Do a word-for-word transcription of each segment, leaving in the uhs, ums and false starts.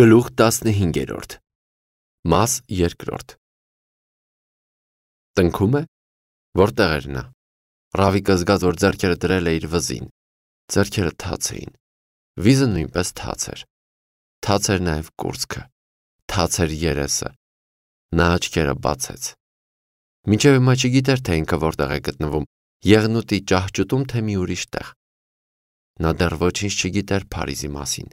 Գլուխ տասնհինգերորդ Մաս երկրորդ Տնքում է, որտեղ էր նա։ Ռավիկը զգաց, որ ձեռքերը դրել է իր վզին։ Ձեռքերը թաց էին։ Վիզը նույնպես թաց էր։ Թաց էր նաև կուրծքը։ Թաց էր երեսը։ Նա աչքերը բացեց։ Մինչև հիմա չգիտեր, թե ինքը որտեղ է գտնվում, եղնուտի ճահճուտում, թե մի ուրիշ տեղ։ Նա դեռ ոչինչ չգիտեր Փարիզի մասին։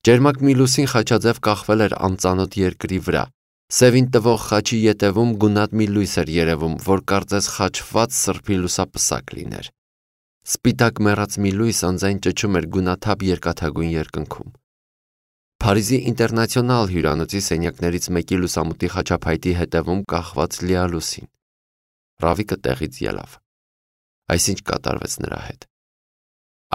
Ջերմակ մի լուսին խաչաձև կախվել էր անծանոթ երկրի վրա։ Սևին տվող խաչի ետևում գունատ մի լույս էր երևում, որ կարծես խաչված սրբի լուսապսակ լիներ։ Սպիտակ մեռած մի լույս անձայն ճչում էր գունաթափ երկաթագույն երկնքում։ Փարիզի ինտերնացիոնալ հյուրանոցի սենյակներից մեկի լուսամուտի խաչափայտի հետևում կախված լիալուսին։ Ռավիկը տեղից ելավ։ Այսինչ կատարվեց նրա հետ։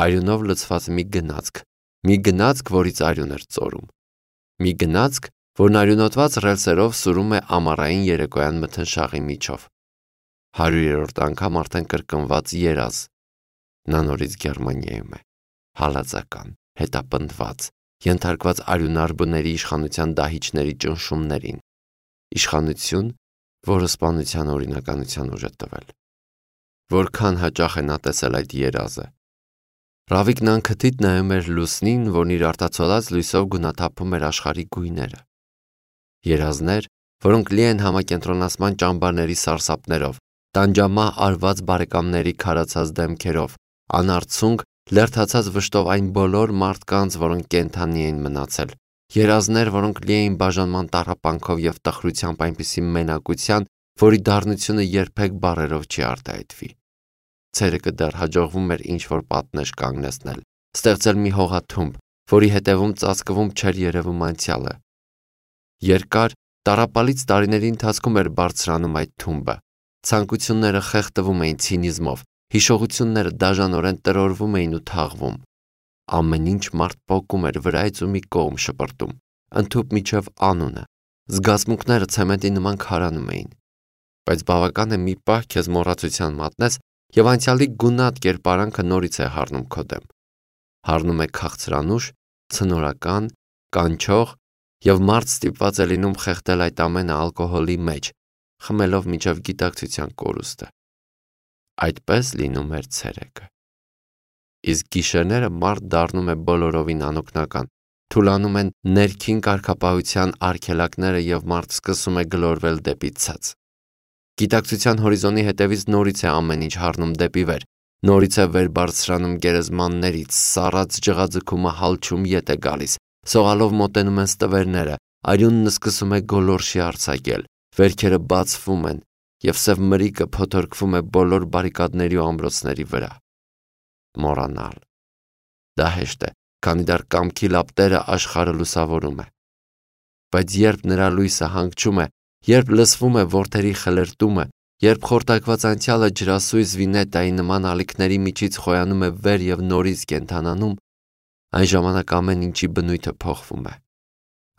Արյունով լցված մի գնացք, մի գնացք, որից արյուն էր ծորում։ Մի գնացք, որն արյունոտված ռելսերով սուրում է ամառային երեկոյան մթնշաղի միջով։ Հարյուրերորդ անգամ արդեն կրկնված երազ։ Նա նորից Գերմանիայում է։ Հալածական, հետապնդված, ենթարկված արյունարբների իշխանության դահիճների ճնշումներին։ Իշխանություն, որը սպանության օրինականության ուժ է տվել։ Որքան հաճախ է նա տեսել այդ երազը։ Ռավիկն անքթիթ նայում էր լուսնին, որն իր արտացոլած լույսով գունաթափում էր աշխարհի գույները։ Երազներ, որոնք լի են համակենտրոնացման ճամբարների սարսափներով, տանջամահ արված բարեկամների քարացած դեմքերով, անարցունք, լերդացած վշտով այն բոլոր մարդկանց, որոնք կենդանի էին մնացել։ Երազներ, որոնք լի էին բաժանման տառապանքով եւ տխրությամբ այնպիսի մենակության, որի դառնությունը երբեք բառերով չի արտահայտվի։ Ցերեկը դեռ հաջողվում էր ինչ-որ պատնեշ կանգնեցնել, ստեղծել մի հողաթումբ, որի հետևում ծածկվում չէր երևում անցյալը։ Երկար, տառապալից տարիների ընթացքում էր բարձրանում այդ թումբը։ Ցանկությունները խեղդվում էին ցինիզմով, հիշողությունները դաժանորեն տրորվում էին ու թաղվում։ Ամեն ինչ մարդ պոկում էր վրայից ու մի կողմ շպրտում, ընդհուպ միջև անունը։ Զգացմունքները ցեմենտի նման քարանում էին։ Բայց բավական է մի պահ քեզ մոռացության մատնես, եւ անցյալի գունատ կերպարանքը նորից է հառնում քո դեմ։ Հառնում է քաղցրանուշ, ցնորական, կանչող, եւ մարդ ստիպված է լինում խեղդել այդ ամենը ալկոհոլի մեջ, խմելով մինչև գիտակցության կորուստը։ Այդպես լինում էր ցերեկը։ Իսկ գիշերները մարդ դառնում է բոլորովին անօգնական, թուլանում են ներքին կարգապահության արգելակները եւ մարդ սկսում է գլորվել դեպի ցած։ Գիտակցության հորիզոնի հետևից նորից է ամեն ինչ հառնում դեպի վեր, նորից է վեր բարձրանում գերեզմաններից, սառած ջղաձգումը հալչում ետ է գալիս, սողալով մոտենում են ստվերները, արյունն սկսում է գոլորշի արձակել, վերքերը բացվում են, եւ սև մրիկը փոթորկվում է բոլոր բարիկադների ու ամրոցների վրա։ Մոռանալ։ Դա հեշտ է, քանի դեռ կամքի լապտերը աշխարհը լուսավորում է։ Բայց երբ նրա լույսը հանգչում է, երբ լսվում է որդերի խլերտումը, երբ խորտակված անցյալը ջրասույզ վինետայի նման ալիքների միջից խոյանում է վեր եւ նորից կենթանանում, այն ժամանակ ամեն ինչի բնույթը փոխվում է։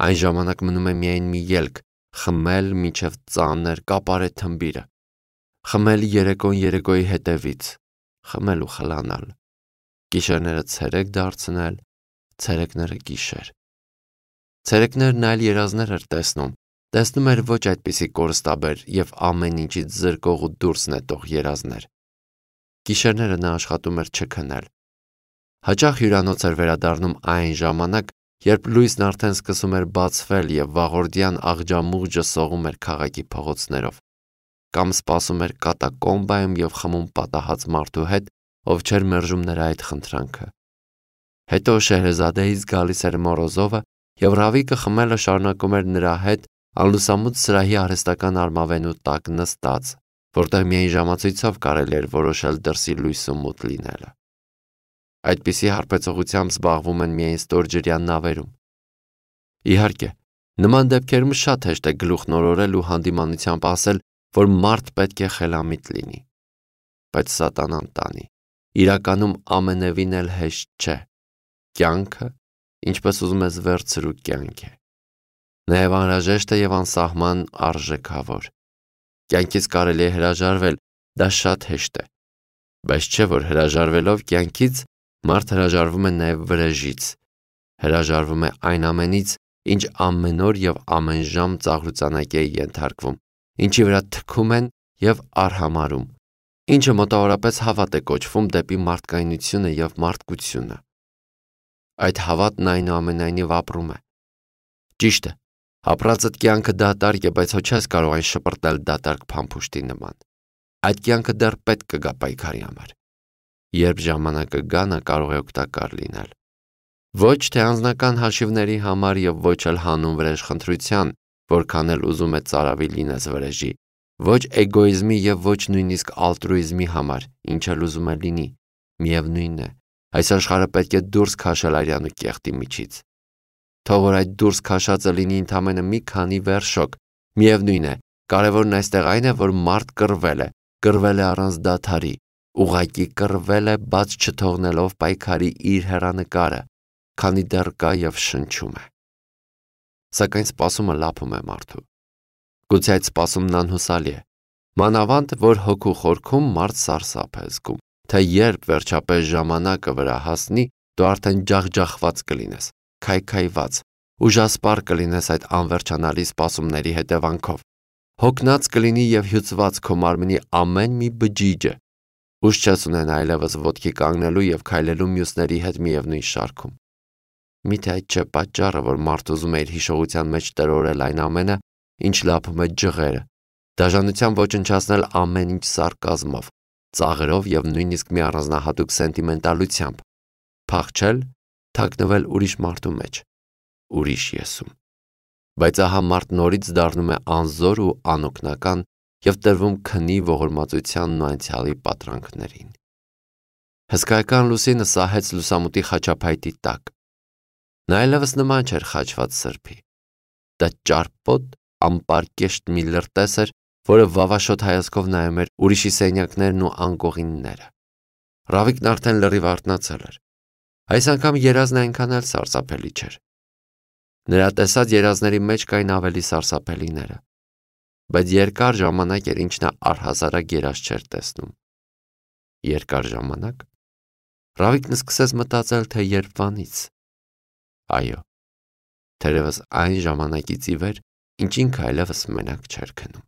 Այն ժամանակ մնում է միայն մի ելք՝ խմել մինչև ծանր կապարե թմբիրը, խմել երեկոն երեկոյի հետևից, խմել ու խլանալ, գիշերները ցերեկ դարձնել, ցերեկները գիշեր։ Ցերեկներն այլ երազներ էր տեսնում, տեսնում էր ոչ այդպիսի կորստաբեր եւ ամեն ինչից զրկող ու դուրս նետող երազներ։ Գիշերները նա աշխատում էր չքնել։ Հաճախ հյուրանոց էր վերադառնում այն ժամանակ, երբ լույսն արդեն սկսում էր բացվել եւ վաղորդյան աղջամուղջը սողում էր քաղաքի փողոցներով, կամ սպասում էր կատակոմբայում եւ խմում պատահած մարդու հետ, ով չէր մերժում նրա այդ խնդրանքը։ Հետո Շեհրեզադեից գալիս էր Մորոզովը եւ Ռավիկը խմելը շարունակում էր նրա հետ անլուսամուտ սրահի արհեստական արմավենու տակ նստած, որտեղ միայն ժամացույցով կարելի էր որոշել դրսի լույսը մութ լինելը։ Այդպիսի հարբեցողությամբ զբաղվում են միայն ստորջրյան նավերում։ Իհարկե, նման դեպքերում շատ հեշտ է գլուխ նորորել ու հանդիմանությամբ ասել, որ մարդ պետք է խելամիտ լինի։ Բայց սատանան տանի, իրականում ամենևին էլ հեշտ չէ։ Կյանքը, ինչպես ուզում ես վերցրու կյանք է։ Նաև անհրաժեշտ է եւ անսահման արժեքավոր։ Կյանքից կարելի է հրաժարվել, դա շատ հեշտ է։ Բայց չէ որ հրաժարվելով կյանքից, մարդ հրաժարվում է նաև վրեժից, հրաժարվում է այն ամենից, ինչ ամեն օր և ամեն ժամ ծաղրուծանակի է ենթարկվում, ինչի վրա թքում են և արհամարհում, ինչը մոտավորապես հավատ է կոչվում դեպի մարդկայնությունը և մարդկությունը։ Այդ հավատն այնուամենայնիվ ապրում է։ Ճիշտ է, ապրածդ կյանքը դատարկ է, բայց հո չես կարող այն շպրտել դատարկ փամփուշտի նման։ Այդ կյանքը դեռ պետք կգա պայքարի համար։ Երբ ժամանակը գա, նա կարող է օգտակար լինել։ Ոչ թե անձնական հաշիվների համար և ոչ էլ հանուն վրեժխնդրության, որքան էլ ուզում է ծարավի լինես վրեժի, ոչ էգոիզմի և ոչ նույնիսկ ալտրուիզմի համար, ինչ էլ ուզում է լինի, միևնույն է, այս աշխարհը պետք է դուրս քաշել արյան ու կեղտի միջից։ Թող որ այդ դուրս քաշածը լինի ընդամենը մի քանի վերշոկ, միևնույն է, կարևորն այստեղ այն է, որ մարդ կռվել է, կռվել է առանց դադարի, ուղղակի կռվել է, բաց չթողնելով պայքարի իր հեռանկարը, քանի դեռ կա և շնչում է։ Սակայն սպասումը լափում է մարդու։ Գուցե այդ սպասումն անհուսալի է, մանավանդ որ հոգու խորքում մարդ սարսափ է զգում, թե երբ վերջապես ժամանակը վրա հասնի, դու արդեն ջախջախված կլինես, քայքայված, ուժասպառ կլինես այդ անվերջանալի սպասումների հետևանքով, հոգնած կլինի և հյուծված քո մարմնի ամեն մի բջիջը, ուժ չես ունենա այլևս ոտքի կանգնելու և քայլելու մյուսների հետ միևնույն շարքում։ Միթե այդ չէ պատճառը, որ մարդ ուզում է իր հիշողության մեջ տրորել այն ամենը, ինչ լափում է ջղերը, դաժանությամբ ոչնչացնել ամեն ինչ սարկազմով, ծաղրով և նույնիսկ մի առանձնահատուկ սենտիմենտալությամբ, փախչել, թաքնվել ուրիշ մարդու մեջ, ուրիշ եսում։ Բայց ահա մարդ նորից դառնում է անզոր ու անօգնական և տրվում քնի ողորմածությանն ու անցյալի պատրանքներին։ Հսկայական լուսինը սահեց լուսամուտի խաչափայտի տակ։ Նա այլևս նման չէր խաչված սրբի։ Դա ճարպոտ, անպարկեշտ մի լրտես էր, որը վավաշոտ հայացքով նայում էր ուրիշի սենյակներն ու անկողինները։ Ռավիկն արդեն լրիվ արթնացել էր։ Այս անգամ երազն այնքան էլ սարսափելի չէր։ Նրա տեսած երազների մեջ կային ավելի սարսափելիները, բայց երկար ժամանակ էր, ինչ նա առհասարակ երազ չէր տեսնում։ Երկար ժամանակ։ Ռավիկն սկսեց մտածել, թե երբվանից։ Այո, թերևս այն ժամանակից ի վեր, ինչ ինքը այլևս մենակ չէր քնում։